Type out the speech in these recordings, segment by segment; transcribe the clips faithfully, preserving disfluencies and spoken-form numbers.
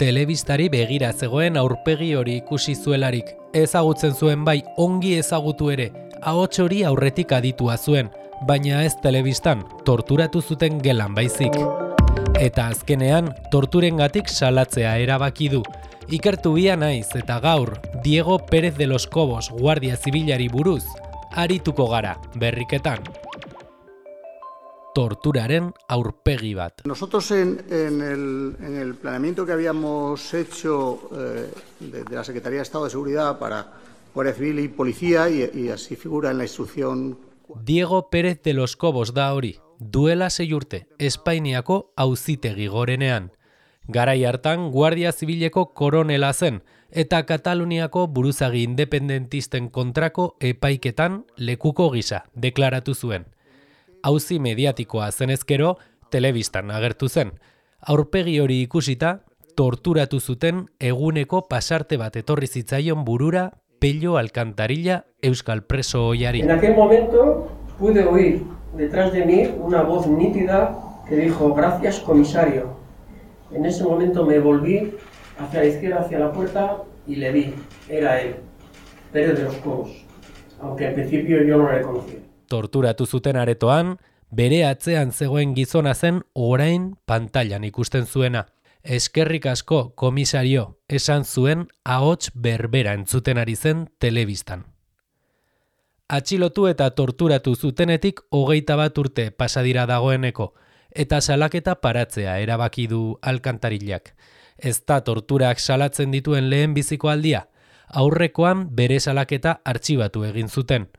telebistari begira zegoen aurpegi hori ikusi zuelarik. Ezagutzen zuen bai ongi ezagutu ere, ahots hori aurretik aditua zuen, baina ez telebistan, torturatu zuten gelan baizik. Eta azkenean, torturengatik salatzea erabaki du. Ikertu bia naiz eta gaur, Diego Pérez de los Cobos Guardia Zibilari buruz, arituko gara, berriketan. Torturaren aurpegi bat. Nosotros en, en, el, en el planeamiento que habíamos hecho eh, de, de la Secretaría de Estado de Seguridad para Guardia Civil y Policía, y, y así figura en la instrucción... Diego Pérez de los Cobos da hori, duela sei urte, Espainiako auzitegi gorenean. Garai hartan Guardia Zibileko koronela zen, eta Kataluniako buruzagi independentisten kontrako epaiketan lekuko gisa deklaratu zuen. Auzi mediatikoa zenezkero, telebistan agertu zen. Aurpegi hori ikusita, torturatu zuten eguneko pasarte bat etorri zitzaion burura Pello Alcantarilla euskal preso ohiari. En aquel momento pude oír detrás de mí una voz nítida que dijo: "Gracias, comisario". En ese momento me volví hacia la izquierda, hacia la puerta, y le vi. Era él, Pérez de los Cobos, aunque al principio yo no le conocía. Torturatu zuten aretoan, bere atzean zegoen gizona zen orain pantailan ikusten zuena. Eskerrik asko, komisario, esan zuen ahots berbera entzuten ari zen telebistan. Atxilotu eta torturatu zutenetik hogeita bat urte pasadira dagoeneko, eta salaketa paratzea erabaki du Alcantarillak. Ez da torturak salatzen dituen lehen biziko aldia, aurrekoan bere salaketa artxibatu egin zuten.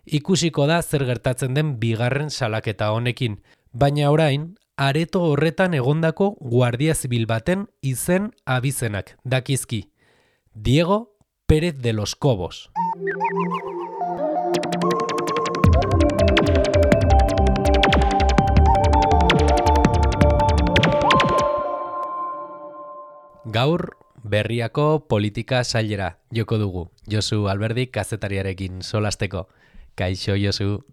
Ikusiko da zer gertatzen den bigarren salaketa honekin, baina orain, areto horretan egondako Guardia Zibil baten izen abizenak dakizki. Diego Pérez de los Cobos. Gaur, Berriako politika sailera joko dugu. Josu Alberdi kazetariarekin solasteko. Kaixo, Josu.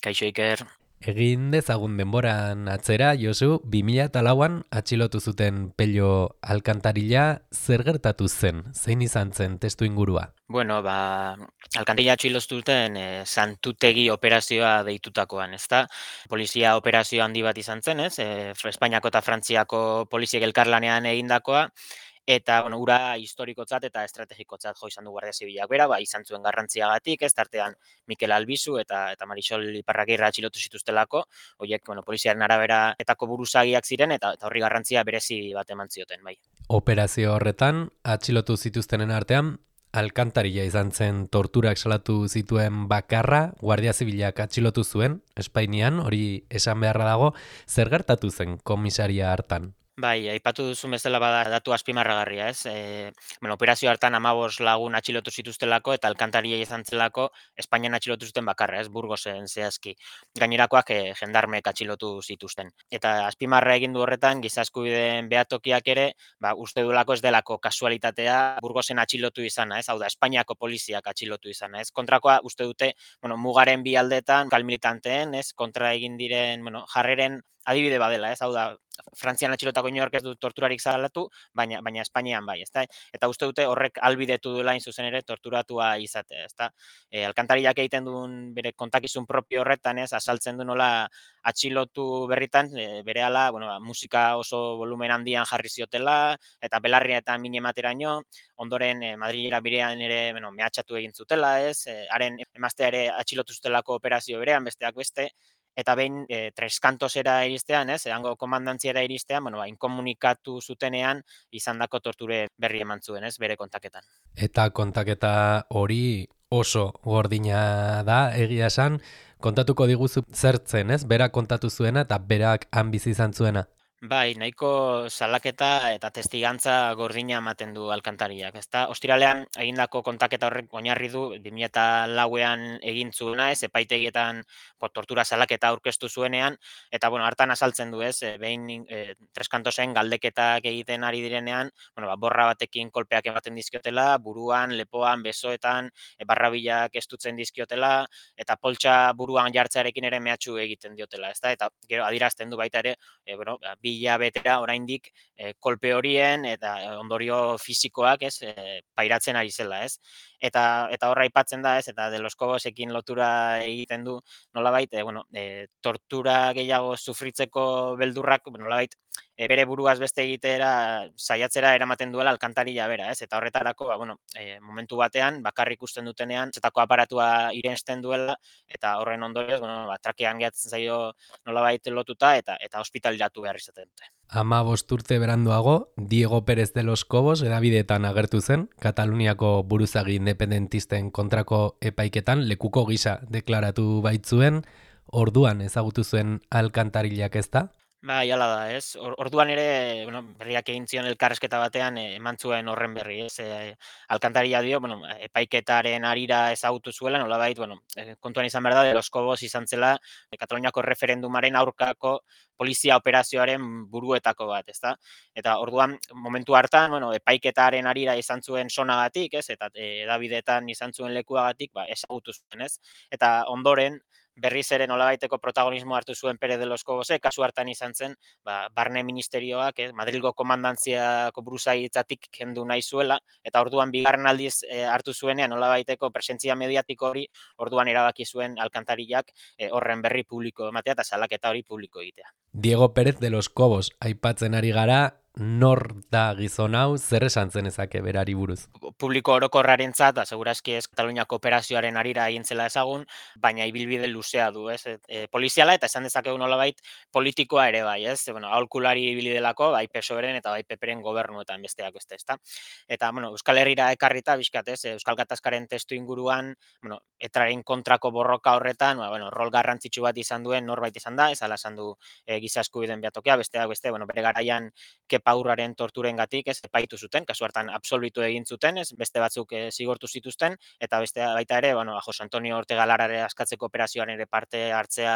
Kaixo, Iker. Egin dezagun denboran atzera, Josu, bi mila lauan atxilotu zuten Pello Alcantarilla, zer gertatu zen? Zein izan zen testu ingurua? Bueno, ba, Alcantarilla atxilotu zuten eh, santutegi operazioa deitutakoan, ezta? Polizia operazio handi bat izan zen, ez? Eh, Espainiako eta Frantziako poliziek elkarlanean egindakoa, eta bueno, ura historikotzat eta estrategikotzat jo izan du Guardia Zibilak bera, ba, izan zuen garrantziagatik, ez tartean Mikel Albizu eta eta Marisol Iparragirre atxilotu zituztelako, horiek bueno, poliziaren arabera etako buruzagiak ziren eta eta horri garrantzia berezi bat eman zioten, bai. Operazio horretan atxilotu zituztenen artean Alcantarilla izan zen torturak salatu zituen bakarra, Guardia Zibilak atxilotu zuen Espainian, hori esan beharra dago, zer gertatu zen komisaria hartan? Bai, aipatu duzu bezala bada datu azpimarragarria, ez? E, bueno, operazio hartan hamabost lagun atxilotu zituztelako eta Alcantarilla izan zelako Espainian atxilotu zuten bakarra, ez? Burgosen zehazki. Gainerakoak e, jendarmek atxilotu zituzten. Eta azpimarra egin du horretan giza eskubideen behatokiak ere, ba, uste duelako ez delako kasualitatea Burgosen atxilotu izana, ez? Hau da, Espainiako poliziak atxilotu izana, ez? Kontrakoa uste dute, bueno, mugaren bi aldetan kalmilitanteen, ez? Kontra egin diren, bueno, jarreren adibide badela, ez? Hau da, Frantzian atxilotako inork ez du torturarik salatu, baina baina Espainian bai, ezta? Eta uste dute horrek albidetu duela in zuzen ere torturatua izatea, ezta? E, Alcantarillak egiten duen bere kontakizun propio horretan, ez, asaltzen du nola atxilotu berritan, e, berehala, bueno, musika oso volumen handian jarri ziotela eta belarria eta min emateraino, ondoren e, Madrilera birean ere, bueno, mehatxatu egin zutela, ez? E, haren emaztea ere atxilotu zutelako operazio berean, besteak beste. Eta behin e, Treskantosera iristean, ez, hango komandantziara iristean, bueno, ba, inkomunikatu zutenean izandako torture berri eman zuen, ez, bere kontaketan. Eta kontaketa hori oso gordina da, egia esan, kontatuko diguzu zertzen, ez, berak kontatu zuena eta berak han bizi izan zuena. Bai, nahiko salaketa eta testigantza gordina ematen du Alcantarillak, ezta? Ostiralean egindako kontaketa horrek oinarri du bi mila lauean egin zuena, ez, epaitegietan po, tortura salaketa aurkeztu zuenean, eta bueno, hartan azaltzen du, ez, behin e, Treskantosen galdeketak egiten ari direnean, bueno, ba, borra batekin kolpeak ematen dizkiotela, buruan, lepoan, besoetan, e, barrabilak estutzen dizkiotela, eta poltsa buruan jartzearekin ere mehatxu egiten diotela, ezta? Eta gero adierazten du baita ere, e, bueno, bi hilabetera oraindik e, kolpe horien eta ondorio fisikoak, ez, e, pairatzen ari zela, ez? Eta eta horra aipatzen da, ez, eta De los Cobosekin lotura egiten du, nolabait, e, bueno, e, tortura gehiago sufritzeko beldurrak, nolabait, e, bere buruaz beste egitera saiatzera eramaten duela alkantarilla bera, ez? Eta horretarako, ba, bueno, e, momentu batean bakarrik ikusten dutenean zetako aparatua irensten duela eta horren ondorioz, bueno, ba, trakean gehatzen zaio nolabait lotuta eta eta ospitaleratu behar izaten dute. Hamabost urte beranduago, Diego Pérez de los Cobos hedabideetan agertu zen, Kataluniako buruzagi independentisten kontrako epaiketan lekuko gisa deklaratu baitzuen, orduan ezagutu zuen alkantarillak, ez da? Ba, jala da, ez? Orduan ere, bueno, berriak egin zion elkarrezketa batean eman zuen horren berri, ez? E, alkantarilla dio, bueno, epaiketaren arira ezagutu zuela, nolabait, bueno, kontuan izan behar da, De los Cobos izan zela Kataluniako referendumaren aurkako polizia operazioaren buruetako bat, ezta? Eta orduan, momentu hartan, bueno, epaiketaren arira izan zuen sonagatik, ez? Eta hedabideetan izan zuen lekuagatik, ba, ezagutu zuen, ez? Eta ondoren, berriz ere nolabaiteko protagonismo hartu zuen Pérez de los Cobosek, kasu hartan izan zen, ba, barne ministerioak, eh, Madrilgo komandantziako buruzagitzatik kendu nahi zuela, eta orduan bigarren aldiz eh, hartu zuenean nolabaiteko presentzia mediatiko hori, orduan erabaki zuen alkantarillak eh, horren berri publiko ematea eta salaketa hori publiko egitea. Diego Pérez de los Cobos aipatzen ari gara, nor da gizon hau, zer esan zen ezake berari buruz? Publiko orokorrarentzat, da segurazki ez Kataluniako operazioaren arira egin zela ezagun, baina ibilbide luzea du, ez? E, poliziala eta esan dezakegu nolabait politikoa ere bai, ez? Bueno, aholkulari ibili delako, bai P S O E-ren eta bai P P-ren gobernuetan besteak beste, ezta? Eta bueno, Euskal Herrira ekarrita bizkat, ez? Euskal Gatazkaren testu inguruan, bueno, etraren kontrako borroka horretan, ba, bueno, rol garrantzitsu bat izan duen norbait izan da, ez ala esan du e, giza eskubideen behatokia, besteak beste, bueno, bere garaian Kepaurraren torturengatik, ez, epaitu zuten, kasu hartan absolbitu egin zuten, ez, beste batzuk e, zigortu zituzten, eta beste baita ere, bueno, Jose Antonio Ortega Larare askatzeko operazioan ere parte hartzea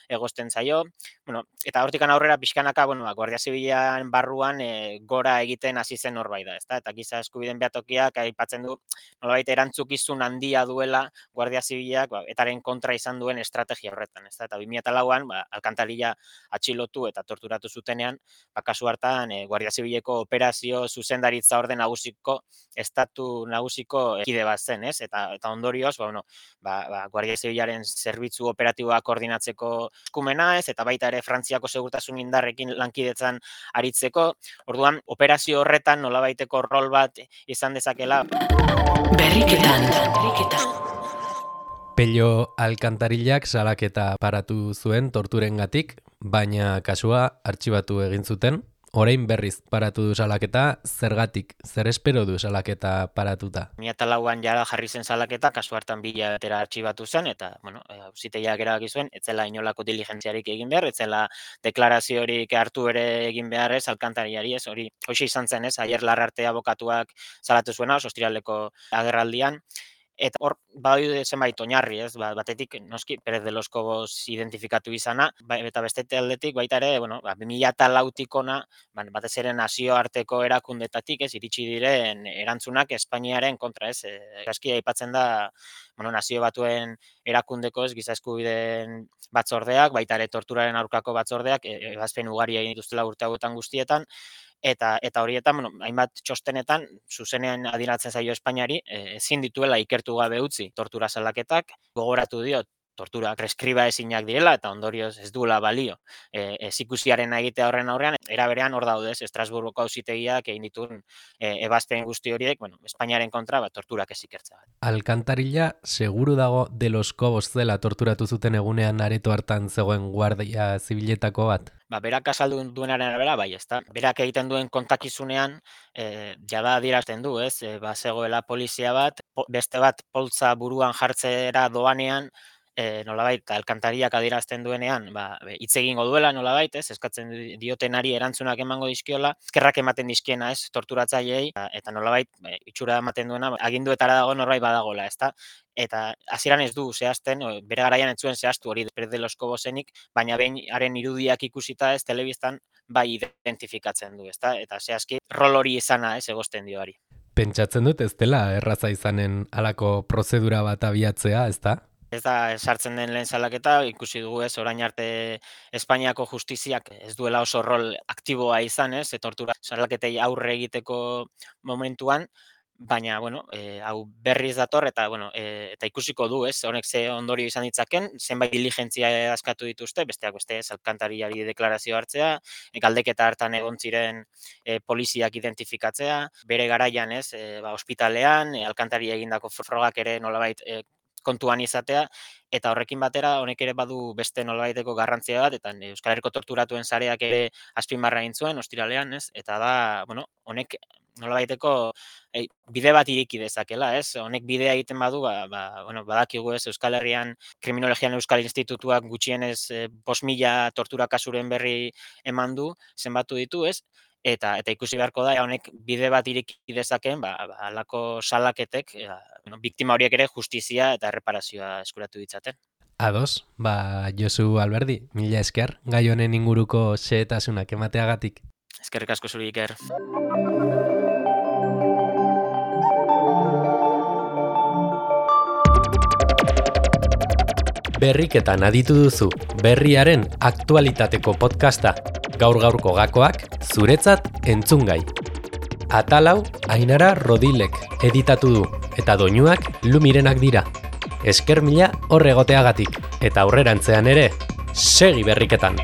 egosten zaio, bueno, eta hortikan aurrera pixkanaka, bueno, Guardia Zibilean barruan e, gora egiten hasi zen norbait da, ezta? Eta giza eskubideen behatokiak aipatzen du, nolabait erantzukizun handia duela Guardia Zibileak, ba, etaren kontra izan duen estrategia horretan, ezta? Eta bi mila lauan, ba, alkantarilla atxilotu eta torturatu zutenean, ba, kasu hartan e, Guardia Zibileko operazio zuzendaritza orde nagusiko estatu nagusiko kide bat zen, ez? Eta eta ondorioz, ba, bueno, ba, ba, Guardia Zibilaren zerbitzu operatiboak koordinatzeko eskumena, ez? Eta baita ere Frantziako segurtasun indarrekin lankidetzan aritzeko. Orduan, operazio horretan nolabaiteko rol bat izan dezakela. Berriketan, berriketan. Pello alkantarillak salaketa paratu zuen torturengatik, baina kasua artxibatu egin zuten. Orain berriz paratu du salaketa, zergatik, zer espero du salaketa paratuta? bi mila lauan jara jarri zen salaketa, kasu hartan bi hilabetera artxibatu zen, eta, bueno, auzitegiak erabaki zuen, etzela inolako diligentziarik egin behar, etzela deklaraziorik hartu ere egin behar ez, alkantarillari ez, hori, hoxe izan zen ez, Aier Larrarte abokatuak salatu zuena, ostiraleko agerraldian, eta hor, badaude zenbait oinarri, ez, batetik, noski, Pérez de los Cobos identifikatu izana, eta beste aldetik, baita ere, bueno, bi mila lautik ona, batez ere nazioarteko erakundetatik, ez, iritsi diren erantzunak Espainiaren kontra, ez, gaski aipatzen da, bueno, nazio batuen erakundeko, ez, giza eskubideen batzordeak, baita ere torturaren aurkako batzordeak, ebazpen ugari egin dituztela urte hauetan guztietan, Eta eta horietan, bueno, hainbat txostenetan zuzenean adiratzen zaio Espainiari, ezin dituela ikertu gabe utzi tortura salaketak, gogoratu dio tortura preskriba ezinak direla eta ondorioz ez duela balio. E, ez ikusiaren egitea horren aurrean, era berean hor daudez, Estrasburgoko auzitegiak egin dituen e, ebazpen guzti horiek, bueno, Espainiaren kontra bat torturak ez ikertzea. Alkantarilla seguru dago De los Cobos zela torturatu zuten egunean areto hartan zegoen Guardia Zibiletako bat? Ba, berak azaldu duenaren arabera, bai, ezta. Berak egiten duen kontakizunean, e, jada adierazten du, ez? E, ba, zegoela polizia bat, po, beste bat poltza buruan jartzera doanean, e, nolabait, alkantariak adierazten duenean, ba, hitz egingo duela, nolabait, ez? Eskatzen diotenari erantzunak emango dizkiola, eskerrak ematen dizkiena, ez? Torturatzaileei, eta nolabait, e, itxura ematen duena, aginduetara dago norbait badagola, ezta? Eta hasieran ez du zehazten, bere garaian ez zuen zehaztu hori Pérez de los Cobosenik, baina behin haren irudiak ikusita ez telebistan bai identifikatzen du, ezta? Eta zehazki rol hori izana ez egosten dioari. Pentsatzen dut ez dela erraza izanen halako prozedura bat abiatzea, ezta? Ez da sartzen den lehen salaketa, ikusi dugu ez, orain arte Espainiako justiziak ez duela oso rol aktiboa izan, ez, tortura salaketei aurre egiteko momentuan, baina, bueno, e, hau berriz dator, eta, bueno, e, eta ikusiko du, ez, honek ze ondorio izan ditzaken, zenbait diligentzia askatu dituzte, besteak beste, ez, alkantariari deklarazio hartzea, galdeketa hartan egon ziren e, poliziak identifikatzea, bere garaian, ez, e, ba, ospitalean, e, alkantari egindako frogak ere nolabait e, kontuan izatea, eta horrekin batera honek ere badu beste nolabaiteko garrantzia bat, eta Euskal Herriko torturatuen sareak ere azpimarra egin zuen ostiralean, ez? Eta da, bueno, honek nolabaiteko ei, bide bat iriki dezakela, ez? Honek bidea egiten badu, ba, ba, bueno, badakigu ez, Euskal Herrian Kriminologian Euskal Institutuak gutxienez eh, bost mila tortura kasuren berri eman du, zenbatu ditu, ez? Eta eta ikusi beharko da honek bide bat ireki dezakeen, ba, ba halako salaketek, ja, bueno, biktima horiek ere justizia eta erreparazioa eskuratu ditzaten. Ados, ba Josu Alberdi, mila esker gai honen inguruko xehetasunak emateagatik. Eskerrik asko zuri, Iker. Berriketan aditu duzu berriaren aktualitateko podcasta. Gaur gaurko gakoak zuretzat entzungai. Atalau Ainara Rodilek editatu du eta doinuak Lumirenak dira. Esker mila hor egoteagatik eta aurrerantzean ere segi berriketan.